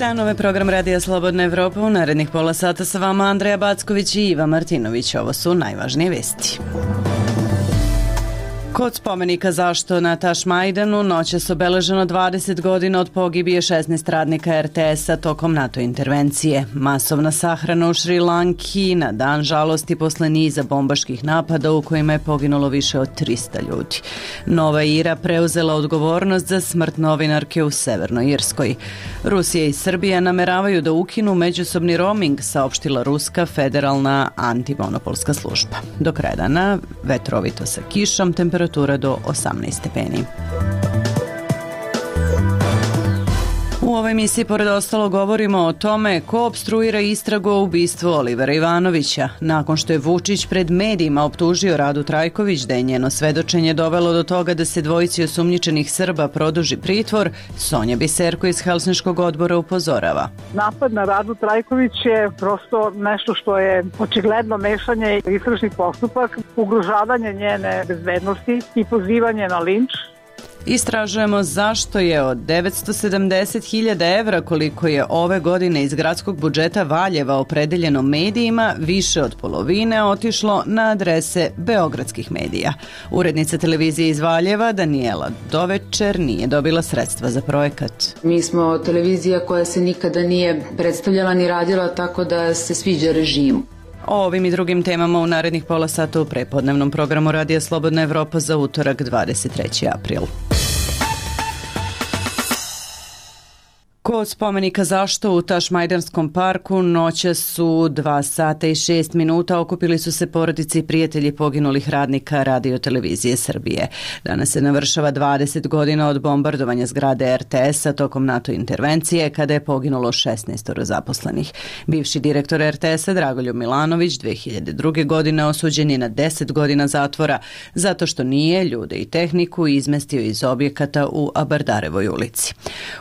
dan, ovo je program Radija Slobodna Evropa. U narednih pola sata sa vama Andreja Backović i Iva Martinović. Ovo su najvažnije vesti. Kod spomenika Zašto na Tašmajdanu noćas obeleženo 20 godina od pogibije 16 radnika RTS-a tokom NATO intervencije. Masovna sahrana u Šri Lanki na dan žalosti posle niza bombaških napada u kojima je poginulo više od 300 ljudi. Nova Ira preuzela odgovornost za smrt novinarke u Severnoj Irskoj. Rusija i Srbija nameravaju da ukinu međusobni roaming, saopštila Ruska federalna antimonopolska služba. Do kraja dana vetrovito sa kišom, temperatura do 18 stepeni. U ovoj emisiji pored ostalo govorimo o tome ko opstruira istragu o ubistvu Olivera Ivanovića. Nakon što je Vučić pred medijima optužio Radu Trajković da je njeno svedočenje dovelo do toga da se dvojici osumnjičenih Srba produži pritvor, Sonja Biserko iz Helsinškog odbora upozorava. Napad na Radu Trajković je prosto nešto što je očigledno mešanje istražnih postupak, ugrožavanje njene bezbednosti i pozivanje na linč. Istražujemo zašto je od 970.000 evra koliko je ove godine iz gradskog budžeta Valjeva opredeljeno medijima, više od polovine otišlo na adrese beogradskih medija. Urednica televizije iz Valjeva Danijela Dovečer nije dobila sredstva za projekat. Mi smo televizija koja se nikada nije predstavljala ni radila tako da se sviđa režimu. O ovim i drugim temama u narednih pola sata u prepodnevnom programu Radija Slobodna Evropa za utorak 23. april. Kod spomenika Zašto u Tašmajdanskom parku noća su 2 sata i 6 minuta okupili su se porodice i prijatelji poginulih radnika Radio televizije Srbije. Danas se navršava 20 godina od bombardovanja zgrade RTS-a tokom NATO intervencije kada je poginulo 16 zaposlenih. Bivši direktor RTS-a Dragoljub Milanović 2002. godine osuđen je na 10 godina zatvora zato što nije ljude i tehniku izmestio iz objekata u Abardarevoj ulici.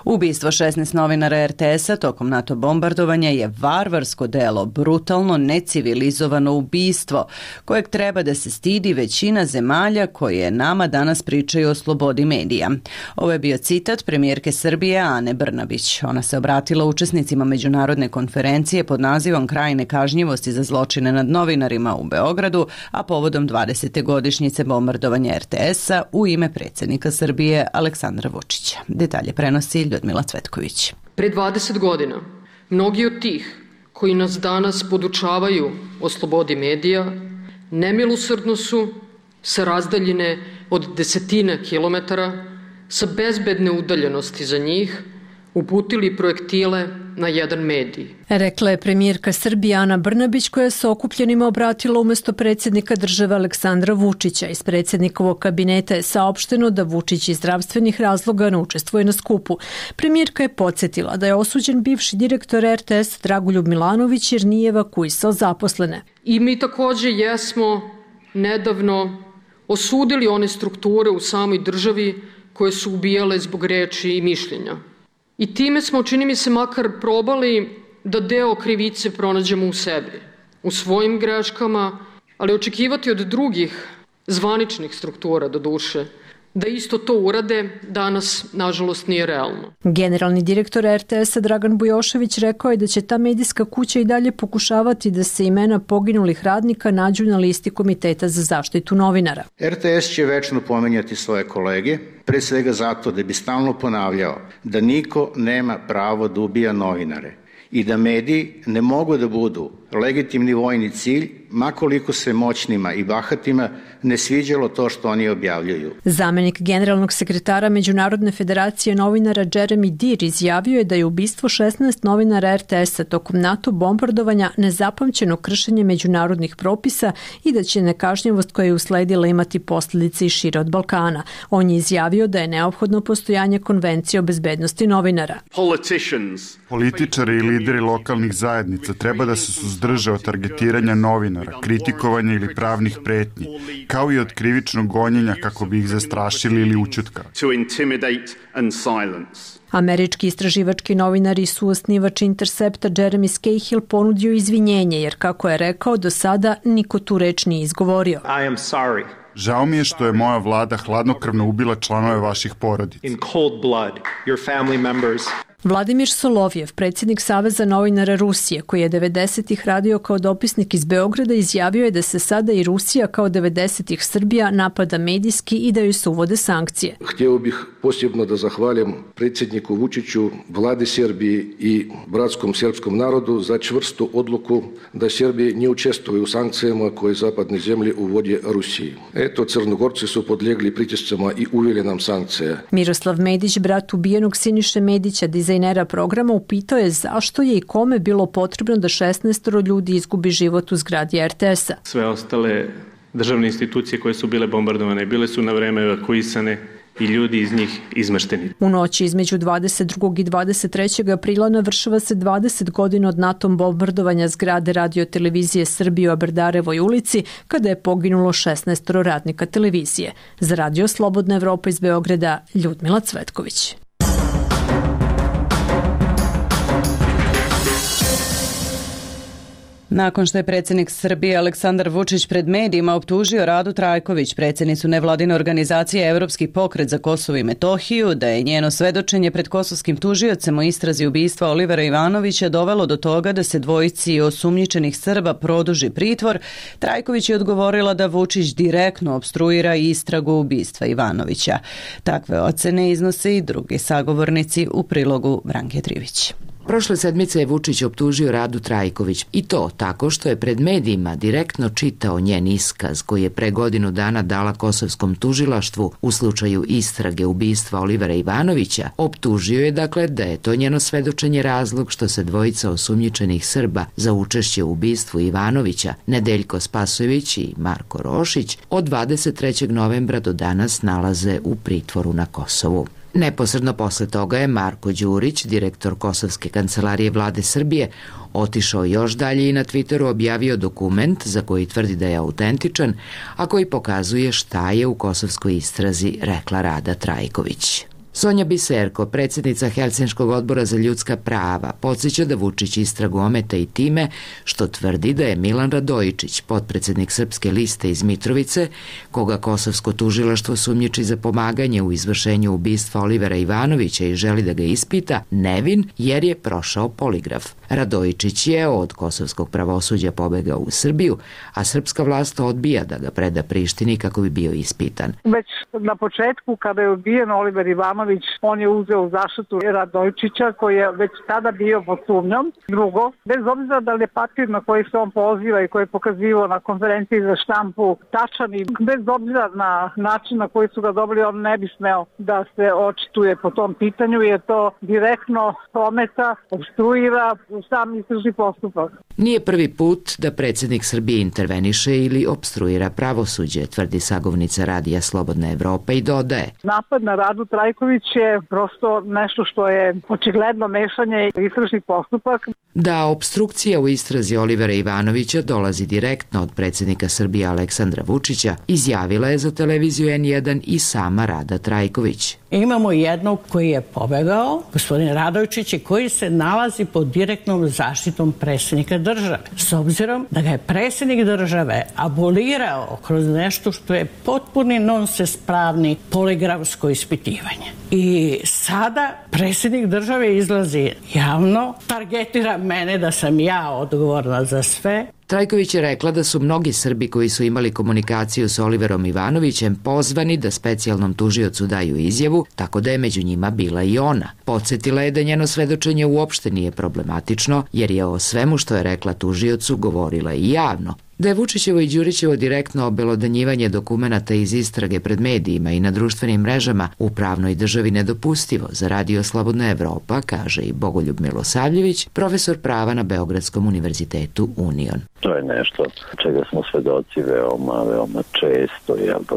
Ubistvo 16 novinara RTS-a tokom NATO bombardovanja je varvarsko delo, brutalno, necivilizovano ubistvo kojeg treba da se stidi većina zemalja koje nama danas pričaju o slobodi medija. Ovo je bio citat premijerke Srbije Ane Brnabić. Ona se obratila učesnicima međunarodne konferencije pod nazivom Kraj nekažnjivosti za zločine nad novinarima u Beogradu, a povodom 20. godišnjice bombardovanja RTS-a u ime predsjednika Srbije Aleksandra Vučića. Detalje prenosi Ljudmila Cvetković. Pre 20 godina, mnogi od tih koji nas danas podučavaju o slobodi medija, nemilosrdno su sa razdaljine od desetina kilometara, sa bezbedne udaljenosti za njih, uputili projektile na jedan medij. Rekla je premijerka Srbije Ana Brnabić koja se okupljenima obratila umjesto predsjednika države Aleksandra Vučića. Iz predsjednikovog kabineta je saopšteno da Vučić iz zdravstvenih razloga ne učestvuje na skupu. Premijerka je podsjetila da je osuđen bivši direktor RTS Dragoljub Milanović jer nije evakuisao zaposlene. I mi također jesmo nedavno osudili one strukture u samoj državi koje su ubijale zbog reči i mišljenja. I time smo, čini mi se, makar probali da deo krivice pronađemo u sebi, u svojim greškama, ali očekivati od drugih zvaničnih struktura, do duše, da isto to urade, danas, nažalost, nije realno. Generalni direktor RTS-a Dragan Bujošević rekao je da će ta medijska kuća i dalje pokušavati da se imena poginulih radnika nađu na listi Komiteta za zaštitu novinara. RTS će večno pominjati svoje kolege, pre svega zato da bi stalno ponavljao da niko nema pravo da ubija novinare i da mediji ne mogu da budu legitimni vojni cilj, makoliko se moćnima i bahatima ne sviđalo to što oni objavljuju. Zamenik generalnog sekretara Međunarodne federacije novinara Jeremy Dear izjavio je da je ubistvo 16 novinara RTS-a tokom NATO bombardovanja nezapamćeno kršenje međunarodnih propisa i da će nekažnjivost koja je usledila imati posljedice i šire od Balkana. On je izjavio da je neophodno postojanje konvencije o bezbednosti novinara. Političari i lideri lokalnih zajednica treba da se suzdrže od targetiranja novinara, kritikovanja ili pravnih pretnji, kao i od krivičnog gonjenja kako bi ih zastrašili ili ućutkali. Američki istraživački novinar i suosnivač Intercepta Jeremy Scahill ponudio izvinjenje jer, kako je rekao, do sada niko tu reč nije izgovorio. Žao mi je što je moja vlada hladnokrvno ubila članove vaših porodica. Vladimir Solovjev, predsjednik Saveza novinara Rusije, koji je 90-ih radio kao dopisnik iz Beograda, izjavio je da se sada i Rusija kao 90-ih Srbija napada medijski i da joj se uvode sankcije. Htio bih posebno da zahvalim predsjedniku Vučiću, vladi Srbije i bratskom srpskom narodu za čvrstu odluku da Srbija ne učestvuje u sankcijama koje zapadne zemlje uvode Rusiji. Eto, Crnogorci su podlegli pritiscima i uveli nam sankcije. Miroslav Medić, brat ubijenog Siniše Medića, dizajnera programa, upitao je zašto je i kome bilo potrebno da 16 ljudi izgubi život u zgradi RTS-a. Sve ostale državne institucije koje su bile bombardovane bile su na vreme evakuisane i ljudi iz njih izmešteni. U noći između 22. i 23. aprila navršava se 20 godina od NATO bombardovanja zgrade Radio televizije Srbije u Aberdarevoj ulici, kada je poginulo 16 radnika televizije. Za Radio Slobodna Evropa iz Beograda, Ljudmila Cvetković. Nakon što je predsjednik Srbije Aleksandar Vučić pred medijima optužio Radu Trajković, predsjednicu nevladine organizacije Evropski pokret za Kosovo i Metohiju, da je njeno svedočenje pred kosovskim tužiocem o istrazi ubistva Olivera Ivanovića dovelo do toga da se dvojici osumnjičenih Srba produži pritvor, Trajković je odgovorila da Vučić direktno opstruira istragu ubistva Ivanovića. Takve ocene iznose i drugi sagovornici u prilogu Branke Trivić. Prošle sedmice je Vučić optužio Radu Trajković i to tako što je pred medijima direktno čitao njen iskaz koji je pre godinu dana dala kosovskom tužilaštvu u slučaju istrage ubistva Olivera Ivanovića. Optužio je dakle da je to njeno svedočenje razlog što se dvojica osumnjičenih Srba za učešće u ubistvu Ivanovića, Nedeljko Spasojević i Marko Rošić, od 23. novembra do danas nalaze u pritvoru na Kosovu. Neposredno posle toga je Marko Đurić, direktor Kosovske kancelarije vlade Srbije, otišao još dalje i na Twitteru objavio dokument za koji tvrdi da je autentičan, a koji pokazuje šta je u kosovskoj istrazi rekla Rada Trajković. Sonja Biserko, predsjednica Helsinškog odbora za ljudska prava, podsjeća da Vučić istragu ometa i time što tvrdi da je Milan Radojičić, potpredsjednik Srpske liste iz Mitrovice, koga kosovsko tužilaštvo sumnjiči za pomaganje u izvršenju ubistva Olivera Ivanovića i želi da ga ispita, nevin jer je prošao poligraf. Radojičić je od kosovskog pravosuđa pobegao u Srbiju, a srpska vlast odbija da ga preda Prištini kako bi bio ispitan. Već na početku, kada je ubijen Oliver Ivanović, on je uzeo u zaštitu Radojičića, koji je već tada bio pod sumnjom. Drugo, bez obzira da li je papir na koji se on poziva i koji je pokazivao na konferenciji za štampu tačan i bez obzira na način na koji su ga dobili, on ne bi smeo da se očituje po tom pitanju, jer to direktno ometa, obstruira sam istražni postupak. Nije prvi put da predsjednik Srbije interveniše ili obstruira pravosuđe, tvrdi sagovornica Radija Slobodna Evropa i dodaje. Napad na Radu Trajković je prosto nešto što je očigledno mešanje istražnih postupak. Da obstrukcija u istrazi Olivera Ivanovića dolazi direktno od predsjednika Srbije Aleksandra Vučića, izjavila je za televiziju N1 i sama Rada Trajković. Imamo jednog koji je pobegao, gospodin Radojičić, koji se nalazi pod direktnom zaštitom predsjednika države. S obzirom da ga je predsjednik države abolirao kroz nešto što je potpuni nonsens pravni poligrafsko ispitivanje. I sada predsjednik države izlazi javno, targetira mene da sam ja odgovorna za sve. Trajković je rekla da su mnogi Srbi koji su imali komunikaciju s Oliverom Ivanovićem pozvani da specijalnom tužiocu daju izjavu, tako da je među njima bila i ona. Podsjetila je da njeno svedočenje uopšte nije problematično, jer je o svemu što je rekla tužiocu govorila i javno. Da je Vučićevo i Đurićevo direktno obelodanjivanje dokumenata iz istrage pred medijima i na društvenim mrežama u pravnoj državi nedopustivo za Radio Slobodna Evropa, kaže i Bogoljub Milosavljević, profesor prava na Beogradskom univerzitetu Union. To je nešto čega smo svedoci veoma često,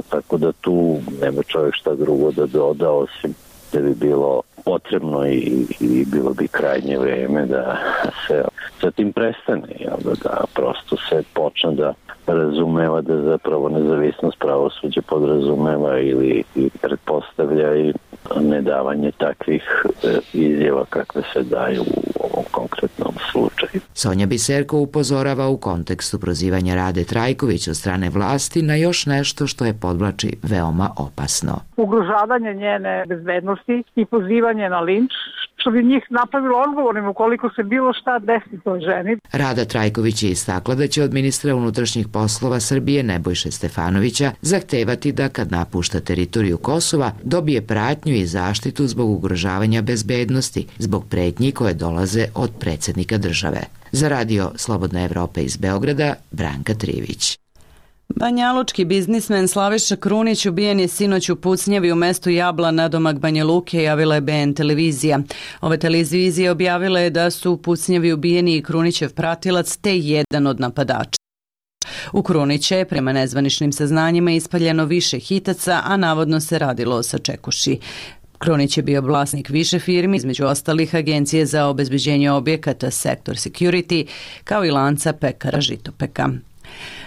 tako da tu nema čovjek šta drugo da doda, osim da bi bilo potrebno i bilo bi krajnje vreme da se sa tim prestane, da prosto se počne da razumeva da zapravo nezavisnost pravosuđa podrazumeva ili pretpostavlja i nedavanje takvih izjava kakve se daju u ovom konkretnom slučaju. Sonja Biserko upozorava u kontekstu prozivanja Rade Trajković od strane vlasti na još nešto što je, podvlači, veoma opasno. Ugrožavanje njene bezbednosti i pozivanje na linč, što bi njih napravilo odgovornim ukoliko se bilo šta desi toj ženi. Rada Trajković je istakla da će od ministra unutrašnjih poslova Srbije Nebojše Stefanovića zahtevati da kad napušta teritoriju Kosova dobije pratnju i zaštitu zbog ugrožavanja bezbednosti, zbog pretnji koje dolaze od predsjednika države. Za radio Slobodna Evropa iz Beograda, Branka Trivić. Banjalučki biznismen Slaviša Krunić ubijen je sinoć u pucnjavi u mestu Jabla nadomak Banja Luke, javila je BN televizija. Ove televizije objavile je da su u pucnjavi ubijeni i Krunićev pratilac te jedan od napadača. U Krunića je prema nezvaničnim saznanjima ispaljeno više hitaca, a navodno se radilo o sačekuši. Krunić je bio vlasnik više firmi, između ostalih agencije za obezbeđenje objekata Sektor Security, kao i lanca pekara Žitopeka.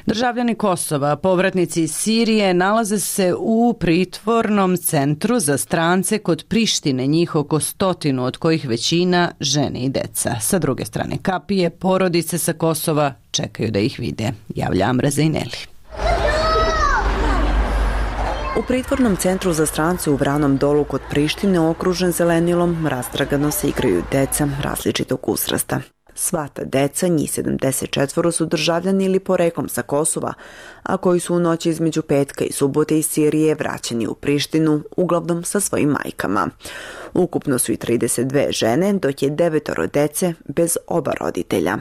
Državljani Kosova, povratnici iz Sirije, nalaze se u pritvornom centru za strance kod Prištine, njih oko 100, od kojih većina žene i deca. Sa druge strane kapije, porodice sa Kosova čekaju da ih vide, javlja Amra Zejneli. U pritvornom centru za strance u Vranom Dolu kod Prištine, okružen zelenilom, rastragano se igraju deca različitog uzrasta. Sva ta deca, njih 74, su državljani ili poreklom sa Kosova, a koji su u noći između petka i subote iz Sirije vraćeni u Prištinu, uglavnom sa svojim majkama. Ukupno su i 32 žene, dok je 9 dece bez oba roditelja.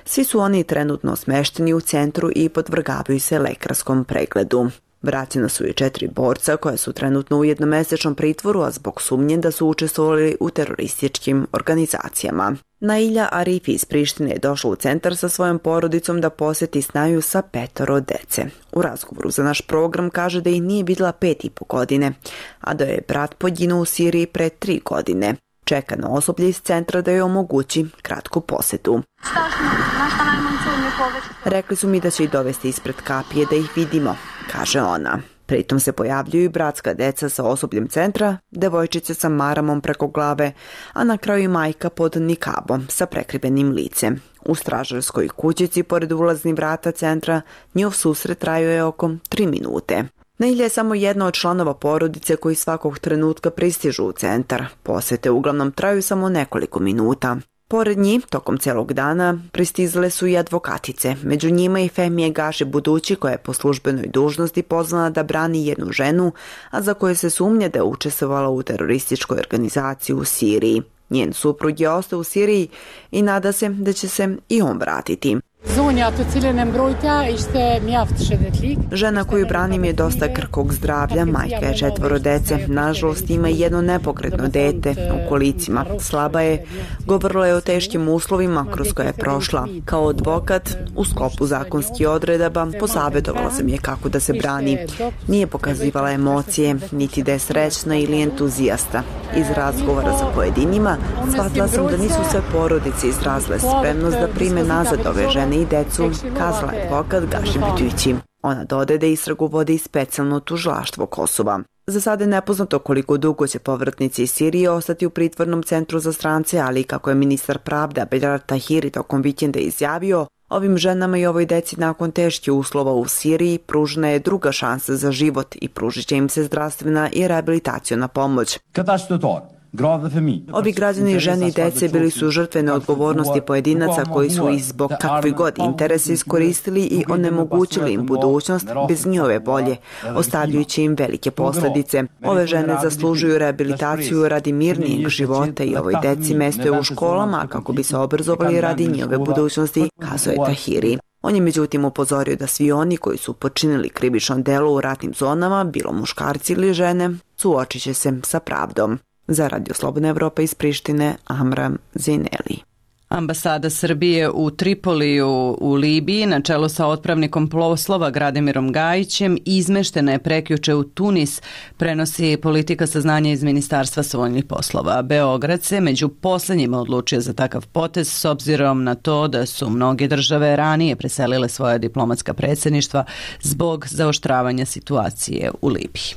Svi su oni trenutno smešteni u centru i podvrgavaju se lekarskom pregledu. Vraćena su i 4 borca koja su trenutno u jednomesečnom pritvoru, a zbog sumnje da su učestvovali u terorističkim organizacijama. Nailja Arifi iz Prištine je došla u centar sa svojom porodicom da posjeti snaju sa 5 dece. U razgovoru za naš program kaže da ih nije vidjela 5,5 godine, a da je brat poginuo u Siriji pre 3 godine. Čeka na osoblje iz centra da joj omogući kratku posjetu. Rekli su mi da će ih dovesti ispred kapije da ih vidimo, kaže ona. Pritom se pojavljuju i bratska deca sa osobljem centra, devojčice sa maramom preko glave, a na kraju i majka pod nikabom sa prekrivenim licem. U stražarskoj kućici pored ulaznih vrata centra njihov susret trajao je oko 3 minute. Nailja je samo jedna od članova porodice koji svakog trenutka pristižu u centar. Posete uglavnom traju samo nekoliko minuta. Pored njih, tokom celog dana, pristizale su i advokatice. Među njima i Femije Gaši Budući, koja je po službenoj dužnosti pozvana da brani jednu ženu, a za koju se sumnja da je učestvovala u terorističkoj organizaciji u Siriji. Njen suprug je ostao u Siriji i nada se da će se i on vratiti. Žena koju branim je dosta krhkog zdravlja, majka je 4 dece, nažalost ima jedno nepokretno dete u kolicima, slaba je, govorila je o teškim uslovima kroz koje je prošla. Kao advokat, u sklopu zakonskih odredaba, posavjetovala sam je kako da se brani. Nije pokazivala emocije, niti da je srećna ili entuzijasta. Iz razgovora sa pojedinima, shvatila sam da nisu sve porodice izrazile spremnost da prime nazad ove žene i decu, kazala je advokat Gaši Budući. Ona dodaje da istragu vodi specijalno tužilaštvo Kosova. Za sada je nepoznato koliko dugo će povratnici iz Sirije ostati u pritvornom centru za strance, ali kako je ministar pravde Abdel Tahiri tokom vikenda izjavio, ovim ženama i ovoj deci nakon teških uslova u Siriji pružena je druga šansa za život i pružit će im se zdravstvena i rehabilitaciona pomoć. Ovi građani, žene i dece bili su žrtve neodgovornosti pojedinaca koji su ih zbog kakvih god interesa iskoristili i onemogućili im budućnost bez njihove volje, ostavljajući im velike posljedice. Ove žene zaslužuju rehabilitaciju radi mirnijeg života i ovoj deci mesto je u školama kako bi se obrazovali radi njihove budućnosti, kazuje Tahiri. On je međutim upozorio da svi oni koji su počinili krivično delo u ratnim zonama, bilo muškarci ili žene, suočit će se sa pravdom. Za Radio Slobodna Evropa iz Prištine, Amra Zejneli. Ambasada Srbije u Tripoliju u Libiji na čelu sa otpravnikom poslova Gradimirom Gajićem izmeštena je prekjuče u Tunis, prenosi Politika saznanja iz Ministarstva spoljnih poslova. Beograd se među poslednjima odlučio za takav potez s obzirom na to da su mnoge države ranije preselile svoja diplomatska predsjedništva zbog zaoštravanja situacije u Libiji.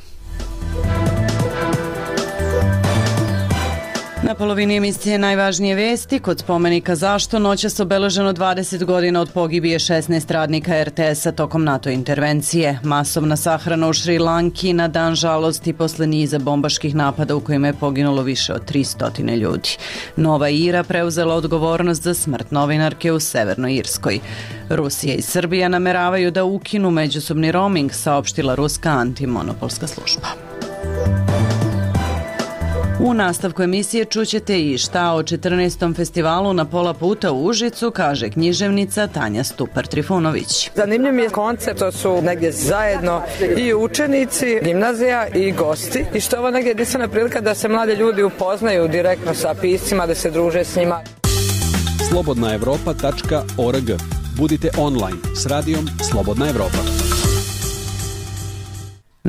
Na polovini emisije najvažnije vesti. Kod spomenika Zašto noćas obeleženo 20 godina od pogibije 16 radnika RTS-a tokom NATO intervencije. Masovna sahrana u Šri Lanki na dan žalosti posle niza bombaških napada u kojima je poginulo više od 300 ljudi. Nova Ira preuzela odgovornost za smrt novinarke u Severnoj Irskoj. Rusija i Srbija nameravaju da ukinu međusobni roaming, saopštila ruska antimonopolska služba. U nastavku emisije čućete i šta o 14. festivalu Na pola puta u Užicu kaže književnica Tanja Stupar-Trifunović. Zanimljiv mi je koncept, to su negdje zajedno i učenici, gimnazija i gosti i što je ovo negdje jedinstvena prilika da se mlade ljudi upoznaju direktno sa piscima, da se druže s njima. slobodnaevropa.org. Budite online s radijom Slobodna Evropa.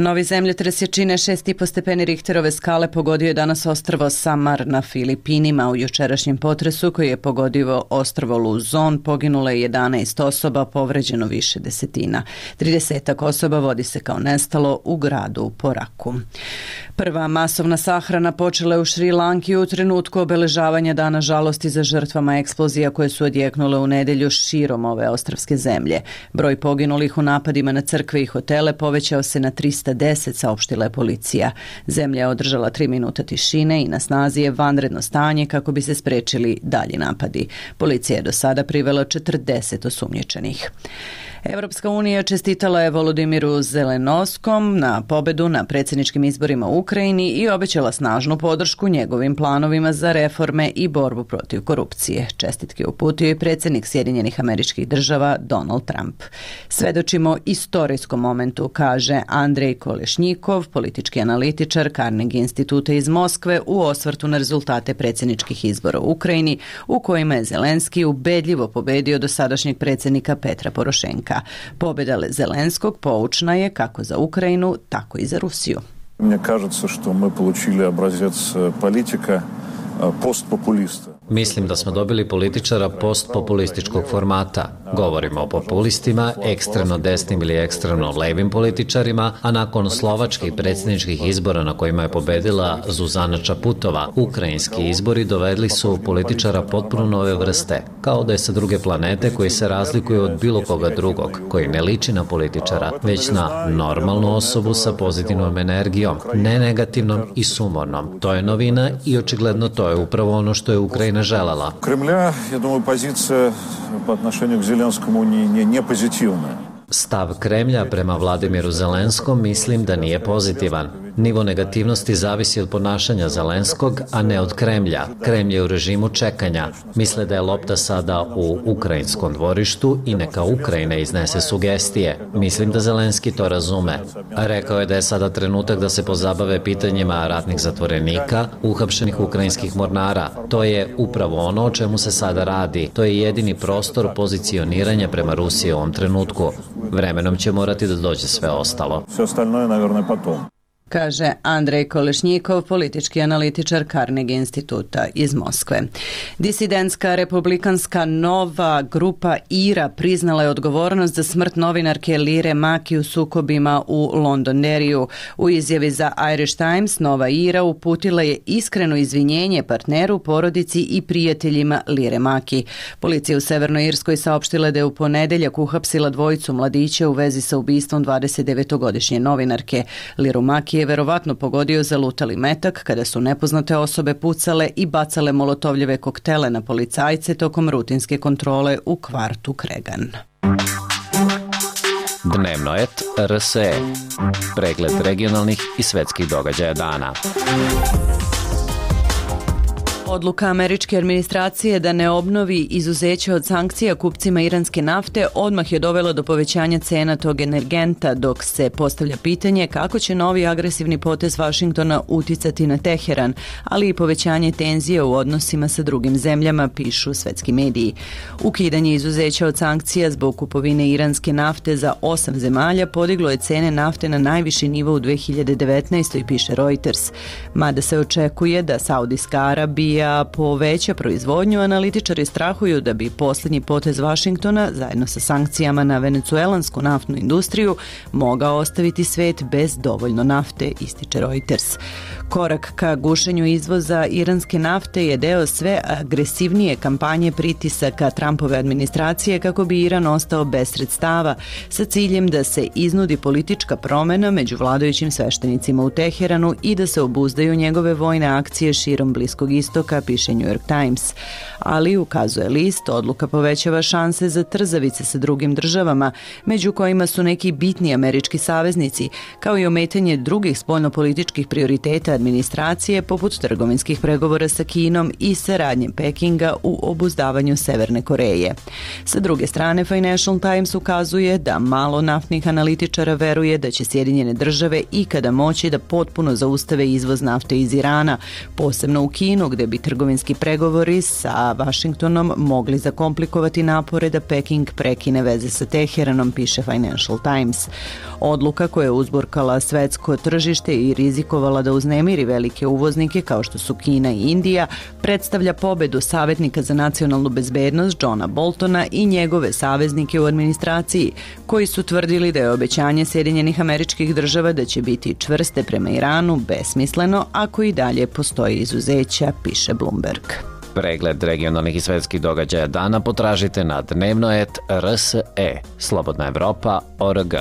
Novi zemljotres jačine 6,5 stepeni Richterove skale pogodio je danas ostrvo Samar na Filipinima. U jučerašnjem potresu koji je pogodio ostrvo Luzon poginulo je 11 osoba, povređeno više desetina. 30 osoba vodi se kao nestalo u gradu Poraku. Prva masovna sahrana počela je u Šri Lanki u trenutku obeležavanja dana žalosti za žrtvama eksplozija koje su odjeknule u nedelju širom ove ostrvske zemlje. Broj poginulih u napadima na crkve i hotele povećao se na 310, saopštila je policija. Zemlja je održala 3 minuta tišine i na snazi je vanredno stanje kako bi se sprečili dalji napadi. Policija je do sada privela 40 osumnjičenih. Evropska unija čestitala je Volodimiru Zelenovskom na pobedu na predsjedničkim izborima u Ukrajini i obećala snažnu podršku njegovim planovima za reforme i borbu protiv korupcije. Čestitke uputio je predsjednik Sjedinjenih Američkih Država Donald Trump. Svedočimo istorijskom momentu, kaže Andrej Kolešnjikov, politički analitičar Carnegie instituta iz Moskve u osvrtu na rezultate predsjedničkih izbora u Ukrajini u kojima je Zelenski ubedljivo pobedio dosadašnjeg predsjednika Petra Porošenka. Pobjeda Zelenskog poučna je kako za Ukrajinu, tako i za Rusiju. Мне кажется, что мы получили образец политика постпопулиста. Mislim da smo dobili političara postpopulističkog formata. Govorimo o populistima, ekstremno desnim ili ekstremno levim političarima, a nakon slovačkih predsjedničkih izbora na kojima je pobedila Zuzana Čaputova, ukrajinski izbori dovedli su političara potpuno nove vrste, kao da je sa druge planete koji se razlikuje od bilo koga drugog, koji ne liči na političara, već na normalnu osobu sa pozitivnom energijom, ne negativnom i sumornom. To je novina i očigledno to je upravo ono što je Ukrajina želela. Кремля, я думаю, позиция по отношению к Зеленскому не позитивная. Stav Kremlja prema Vladimiru Zelenskom mislim da nije pozitivan. Nivo negativnosti zavisi od ponašanja Zelenskog, a ne od Kremlja. Kremlj je u režimu čekanja. Misle da je lopta sada u ukrajinskom dvorištu i neka Ukrajina iznese sugestije. Mislim da Zelenski to razume. Rekao je da je sada trenutak da se pozabave pitanjima ratnih zatvorenika, uhapšenih ukrajinskih mornara. To je upravo ono o čemu se sada radi. To je jedini prostor pozicioniranja prema Rusiji u ovom trenutku. Vremenom će morati da dođe sve ostalo. Sve ostalo je, naravno, potom. Kaže Andrej Kolešnjikov, politički analitičar Carnegie instituta iz Moskve. Disidentska republikanska nova grupa IRA priznala je odgovornost za smrt novinarke Lire Maki u sukobima u Londonderriju. U izjavi za Irish Times Nova IRA uputila je iskreno izvinjenje partneru, porodici i prijateljima Lire Maki. Policija u Severnoj Irskoj saopštila da je u ponedeljak uhapsila dvojicu mladića u vezi sa ubistvom 29-godišnje novinarke. Liru Maki je verovatno pogodio zalutali metak kada su nepoznate osobe pucale i bacale molotovljeve koktele na policajce tokom rutinske kontrole u kvartu Kregan. Dnevnoet RSE. Pregled regionalnih i svetskih događaja dana. Odluka američke administracije da ne obnovi izuzeće od sankcija kupcima iranske nafte odmah je dovela do povećanja cena tog energenta, dok se postavlja pitanje kako će novi agresivni potez Vašingtona uticati na Teheran, ali i povećanje tenzije u odnosima sa drugim zemljama, pišu svetski mediji. Ukidanje izuzeća od sankcija zbog kupovine iranske nafte za 8 zemalja podiglo je cene nafte na najviši nivo u 2019. piše Reuters, mada se očekuje da Saudijska Arabija Srbija poveća proizvodnju, analitičari strahuju da bi posljednji potez Vašingtona, zajedno sa sankcijama na venecuelansku naftnu industriju, mogao ostaviti svet bez dovoljno nafte, ističe Reuters. Korak ka gušenju izvoza iranske nafte je deo sve agresivnije kampanje pritisaka Trumpove administracije kako bi Iran ostao bez sredstava, sa ciljem da se iznudi politička promena među vladajućim sveštenicima u Teheranu i da se obuzdaju njegove vojne akcije širom Bliskog istoka, piše New York Times. Ali, ukazuje list, odluka povećava šanse za trzavice sa drugim državama, među kojima su neki bitni američki saveznici, kao i ometanje drugih spoljnopolitičkih prioriteta administracije poput trgovinskih pregovora sa Kinom i saradnje Pekinga u obuzdavanju Severne Koreje. Sa druge strane, Financial Times ukazuje da malo naftnih analitičara veruje da će Sjedinjene države ikada moći da potpuno zaustave izvoz nafte iz Irana, posebno u Kinu, gde bi trgovinski pregovori sa Vašingtonom mogli zakomplikovati napore da Peking prekine veze sa Teheranom, piše Financial Times. Odluka koja je uzburkala svetsko tržište i rizikovala da uznemiri velike uvoznike kao što su Kina i Indija, predstavlja pobedu savjetnika za nacionalnu bezbednost Johna Boltona i njegove saveznike u administraciji, koji su tvrdili da je obećanje Sjedinjenih Američkih Država da će biti čvrste prema Iranu besmisleno ako i dalje postoji izuzeća, piše Bloomberg. Pregled regionalnih i svetskih događaja dana potražite na dnevno.rs.e. Slobodna Evropa.org.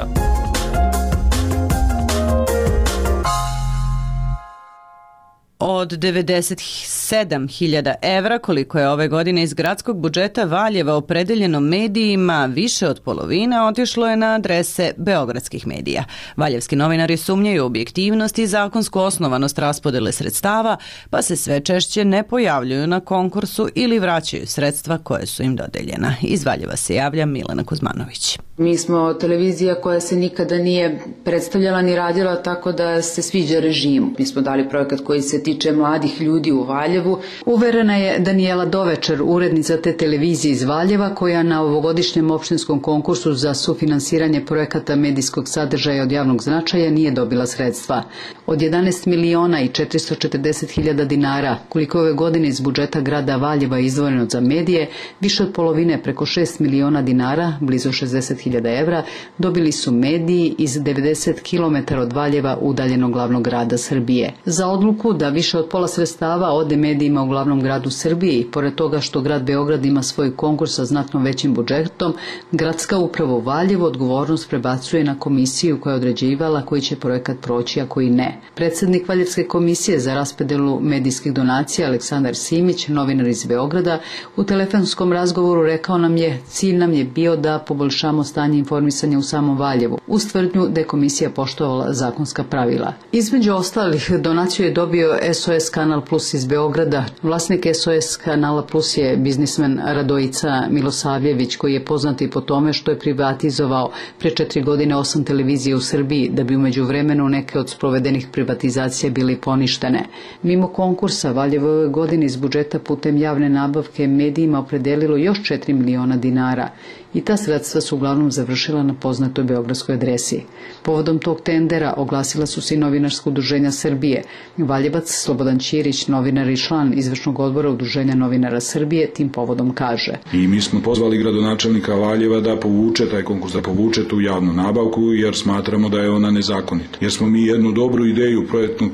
Od 97.000 evra, koliko je ove godine iz gradskog budžeta Valjeva opredeljeno medijima, više od polovine otišlo je na adrese beogradskih medija. Valjevski novinari sumnjaju objektivnost i zakonsku osnovanost raspodele sredstava, pa se sve češće ne pojavljuju na konkursu ili vraćaju sredstva koje su im dodeljena. Iz Valjeva se javlja Milena Kuzmanović. Mi smo televizija koja se nikada nije predstavljala ni radila tako da se sviđa režimu. Mi smo dali projekat koji se tiče mladih ljudi u Valjevu. Uverena je Danijela Dovečer, urednica te televizije iz Valjeva, koja na ovogodišnjem opštinskom konkursu za sufinansiranje projekata medijskog sadržaja od javnog značaja nije dobila sredstva. Od 11.440.000 dinara, koliko ove godine iz budžeta grada Valjeva izdvojeno za medije, više od polovine, preko 6 miliona dinara, blizu 60.000 evra, dobili su mediji iz 90 km od Valjeva, udaljenog glavnog grada Srbije. Za odluku da više od pola sredstava ode medijima u glavnom gradu Srbije i pored toga što grad Beograd ima svoj konkurs sa znatno većim budžetom, gradska uprava u Valjevu odgovornost prebacuje na komisiju koja je određivala koji će projekat proći, a koji ne. Predsednik Valjevske komisije za raspodelu medijskih donacija Aleksandar Simić, novinar iz Beograda, u telefonskom razgovoru rekao nam je: cilj nam je bio da poboljšamo stanje informisanja u samom Valjevu, uz tvrdnju da je komisija poštovala zakonska pravila. Između ostalih, donaciju je dobio SOS Kanal Plus iz Beograda. Vlasnik SOS Kanala Plus je biznismen Radojica Milosavljević, koji je poznat i po tome što je privatizovao pre 4 godine 8 televizije u Srbiji, da bi umeđu vremenu neke od sprovedenih privatizacija bili poništene. Mimo konkursa, Valjevo ove godine iz budžeta putem javne nabavke medijima opredelilo još 4 miliona dinara i ta sredstva su uglavnom završila na poznatoj beogradskoj adresi. Povodom tog tendera oglasila su se i novinarska udruženja Srbije. Valjevac Slobodan Ćirić, novinar i član izvršnog odbora Udruženja novinara Srbije, tim povodom kaže: I mi smo pozvali gradonačelnika Valjeva da povuče taj konkurs, da povuče tu javnu nabavku, jer smatramo da je ona nezakonita. Jer smo mi jednu dobru ideju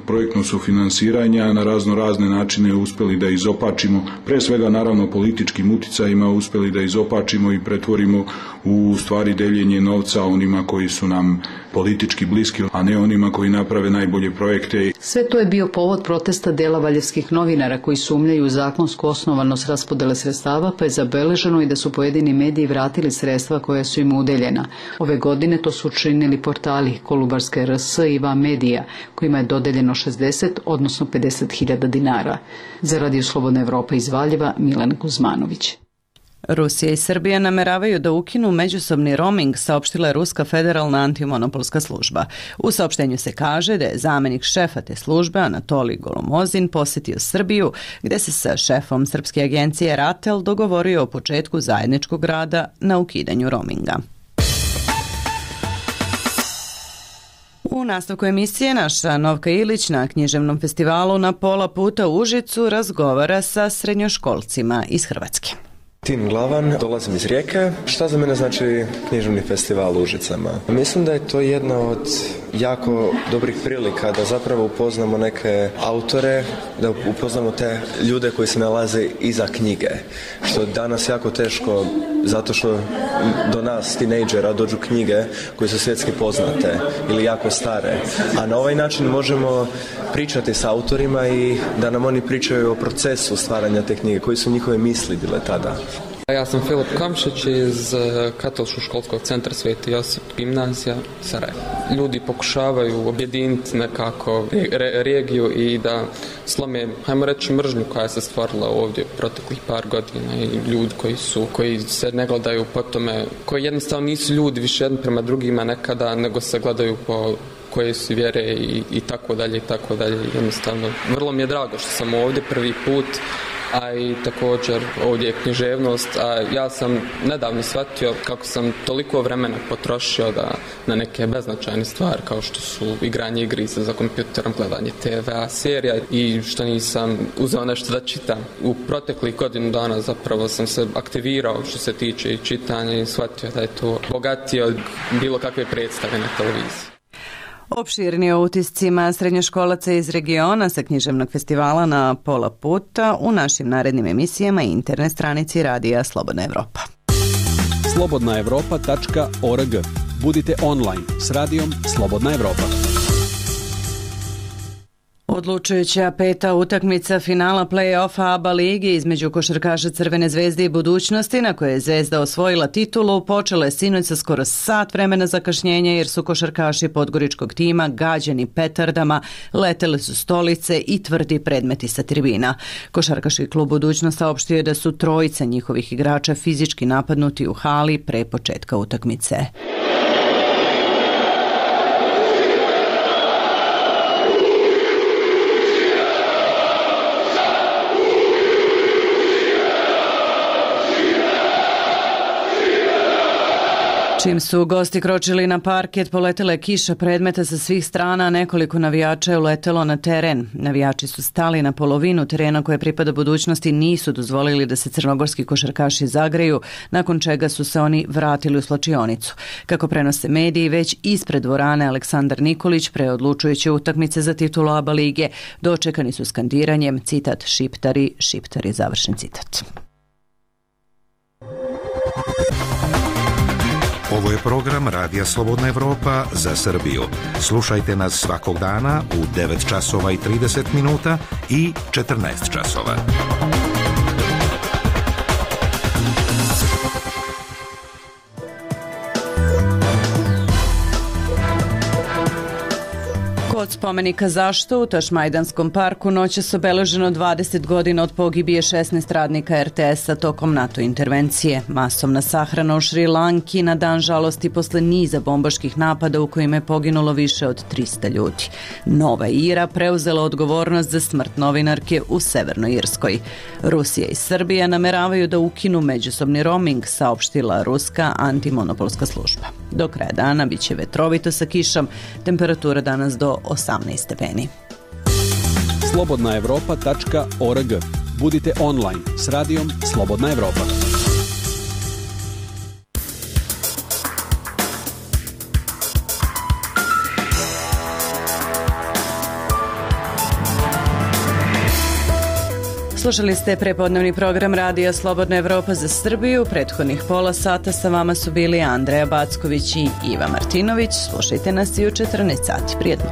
projektnog sufinansiranja na razne načine uspeli da izopačimo, pre svega naravno političkim uticajima uspeli da izopačimo i pretvorimo u stvari deljenje novca onima koji su nam politički bliski, a ne onima koji naprave najbolje projekte. Sve to je bio povod protesta dela valjevskih novinara koji sumnjaju u zakonsku osnovanost raspodele sredstava, pa je zabeleženo i da su pojedini mediji vratili sredstva koja su im udeljena. Ove godine to su učinili portali Kolubarske RS i Va Medija, kojima je dodeljeno 60, odnosno 50.000 dinara. Za Radio Slobodna Evropa iz Valjeva, Milena Kuzmanović. Rusija i Srbija nameravaju da ukinu međusobni roaming, saopštila je Ruska federalna antimonopolska služba. U saopštenju se kaže da je zamenik šefa te službe Anatolij Golomozin posetio Srbiju, gde se sa šefom srpske agencije RATEL dogovorio o početku zajedničkog rada na ukidanju roaminga. U nastavku emisije naša Novka Ilić na književnom festivalu Na pola puta u Užicu razgovara sa srednjoškolcima iz Hrvatske. Tin Glavan, dolazim iz Rijeke. Šta za mene znači književni festival u Užicama? Mislim da je to jedna od jako dobrih prilika da zapravo upoznamo neke autore, da upoznamo te ljude koji se nalaze iza knjige. Što je danas jako teško zato što do nas, tinejdžera, dođu knjige koje su svjetski poznate ili jako stare. A na ovaj način možemo pričati s autorima i da nam oni pričaju o procesu stvaranja te knjige, koji su njihove misli bile tada. Ja sam Filip Kamšić iz Katoličkog školskog centra Sveti Josip gimnazija Sarajevo. Ljudi pokušavaju objediniti nekako regiju i da slome, hajmo reći, mržnju koja se stvarila ovdje proteklih par godina i ljudi koji se ne gledaju po tome, koji jednostavno nisu ljudi više jedni prema drugima nekada, nego se gledaju po koje su vjere i tako dalje i tako dalje. Jednostavno, vrlo mi je drago što sam ovdje prvi put, a i također ovdje je književnost, a ja sam nedavno shvatio kako sam toliko vremena potrošio na neke beznačajne stvari kao što su igranje igrice za kompjuterom, gledanje TV-a, serija i što nisam uzeo nešto da čitam. U proteklih godinu dana zapravo sam se aktivirao što se tiče i čitanja i shvatio da je to bogatije od bilo kakve predstave na televiziji. Opširni o utiscima srednjoškolaca iz regiona sa književnog festivala Na pola puta u našim narednim emisijama i internet stranici Radija Slobodna Evropa. slobodnaevropa.org. Budite online s Radijom Slobodna Evropa. Odlučujuća peta utakmica finala play-offa ABA ligi između košarkaša Crvene zvezde i Budućnosti, na koje je Zvezda osvojila titulu, počela je sinoć sa skoro sat vremena zakašnjenja jer su košarkaši podgoričkog tima gađani petardama, letele su stolice i tvrdi predmeti sa tribina. Košarkaški klub Budućnost saopštio je da su trojica njihovih igrača fizički napadnuti u hali pre početka utakmice. Čim su gosti kročili na parket, poletela je kiša predmeta sa svih strana, nekoliko navijača je uletelo na teren. Navijači su stali na polovinu terena koje pripada Budućnosti, nisu dozvolili da se crnogorski košarkaši zagreju, nakon čega su se oni vratili u slačionicu. Kako prenose mediji, već ispred dvorane Aleksandar Nikolić pre odlučujuće utakmice za titulu ABA lige dočekani su skandiranjem, citat, šiptari, šiptari, završen citat. Ovo je program Radija Slobodna Evropa za Srbiju. Slušajte nas svakog dana u 9 časova i 30 minuta i 14 časova. Kod spomenika Zašto u Tašmajdanskom parku noćas obeleženo 20 godina od pogibije 16 radnika RTS-a tokom NATO intervencije. Masovna sahrana u Šri Lanki na dan žalosti posle niza bombaških napada u kojima je poginulo više od 300 ljudi. Nova Ira preuzela odgovornost za smrt novinarke u Severnoj Irskoj. Rusija i Srbija nameravaju da ukinu međusobni roaming, saopštila ruska antimonopolska služba. Do kraja dana biće vetrovito sa kišom, temperatura danas do 18 stepeni. slobodnaevropa.org. Budite online s Radijom Slobodna Evropa. Slušali ste prepodnevni program Radija Slobodna Evropa za Srbiju. Prethodnih pola sata sa vama su bili Andreja Backović i Iva Martinović. Slušajte nas i u 14 sati. Prijetno.